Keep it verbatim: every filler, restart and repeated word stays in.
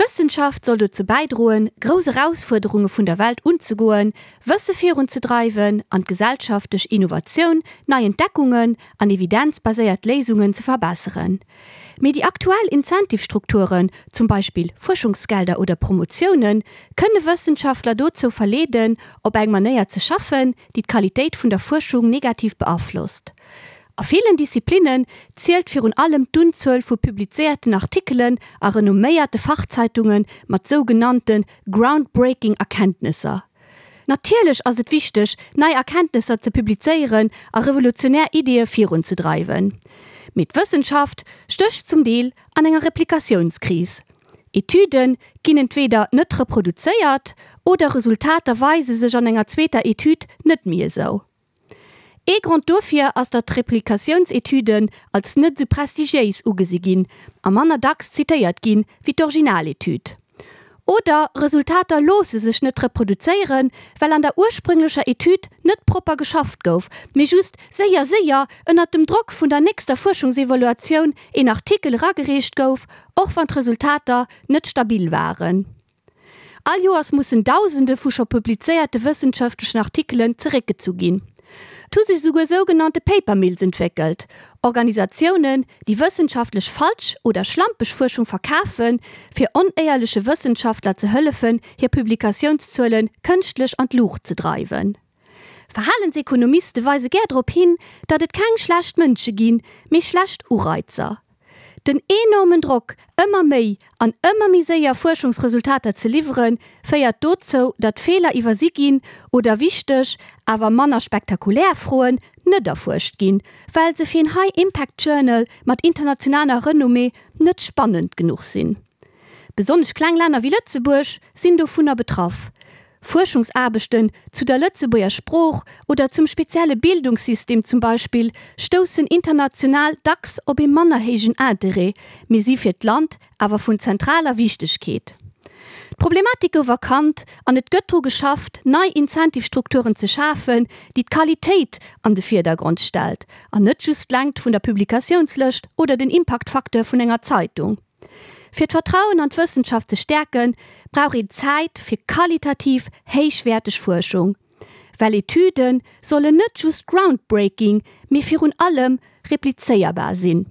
D'Wëssenschaft soll dozou bäidroen, grouss Erausfuerderunge vun der Welt unzegoen, Wësse virunzedreiwen an d'Gesellschaft duerch Innovatioun, nei Entdeckungen an evidenzbaséiert Léisungen ze verbesseren. Mee déi aktuell Incentive-Strukturen, zum Beispill Fuerschungsgelder oder Promotiounen, kënne Wëssenschaftler dozou verleeden, op eng Manéier ze schaffen, déi d'Qualitéit vun der Fuerschung negativ beaflosst. A villen Disziplinnen zielt virun allem d'Unzuel vu publizéierten Artikelen a renomméierte Fachzeitunge mat sougenannte groundbreaking Erkenntnisser. Natierlech ass et wichteg, nei Erkenntnisser ze publizéieren a revolutionär Iddie virunzedreiwen. Mee d'Wëssenschaft stécht zum Deel an enger Replikatiounskris. Etüde ginn entweeder net reproduzéiert oder Resultater weise sech an enger zweeter Etüd net méi esou. Ee Grond dofir ass, datt Replikatiounsetüden als net sou prestigiéis ugesi ginn a manner dacks zitéiert ginn, wéi d'Originaletüd. Oder Resultater loosse sech net reproduzéieren, well an der ursprünglecher Etüd net propper geschafft gouf, mee just séier séier ënnert dem Drock vun der nächster Fuerschungsevaluatioun een Artikel eragereecht gouf, och wann d'Resultater net stabil waren. All Joers mussen Dausende vu scho publizéierte wëssenschaftlechen Artikelen zeréckgezu ginn. Et hu sech souguer sougenannte Paper Mills entwéckelt, Organisatiounen, déi wëssenschaftlech falsch oder schlampeg Fuerschung verkafen, fir onéierleche Wëssenschaftler ze hëllefen, hir Publikatiounszuele kënschtlech an d'Luucht ze dreiwen. Verhalensekonomiste weise gär drop hin, datt et keng schlecht Mënsche ginn, mee schlecht Ureizer. Den enormen Drock, ëmmer méi an ëmmer méi séier Fuerschungsresultater ze liwweren, féiert dozou, datt Feeler iwwersi ginn oder wichteg, awer manner spektakulär Froen net erfuerscht ginn, well se fir en High-Impact Journal mat internationaler Renommée net spannend genuch sinn. Besonnesch kleng Länner wéi Lëtzebuerg sinn dovunner betraff. Fuerschungsaarbechten zu der Lëtzebuerger Sprooch oder zum spezielle Bildungssystem zum Beispill stoussen international dacks op ee manner héijen Interêt, mee si fir d'Land awer vun zentraler Wichtegkeet. D'Problematik gouf erkannt an et gëtt dru geschafft, nei Incentive-Strukturen ze schafen, déi d'Qualitéit an de Virdergrond stellt an net just d'Längt vun der Publikatiounslëscht oder den Impaktfacteur vun enger Zeitung. Fir d'Vertrauen an d'Wëssenschaft ze stäerken, brauch een Zäit fir qualitativ héichwäerteg Fuerschung. Well Etüde sollen net just groundbreaking, mee virun allem replizéierbar sinn.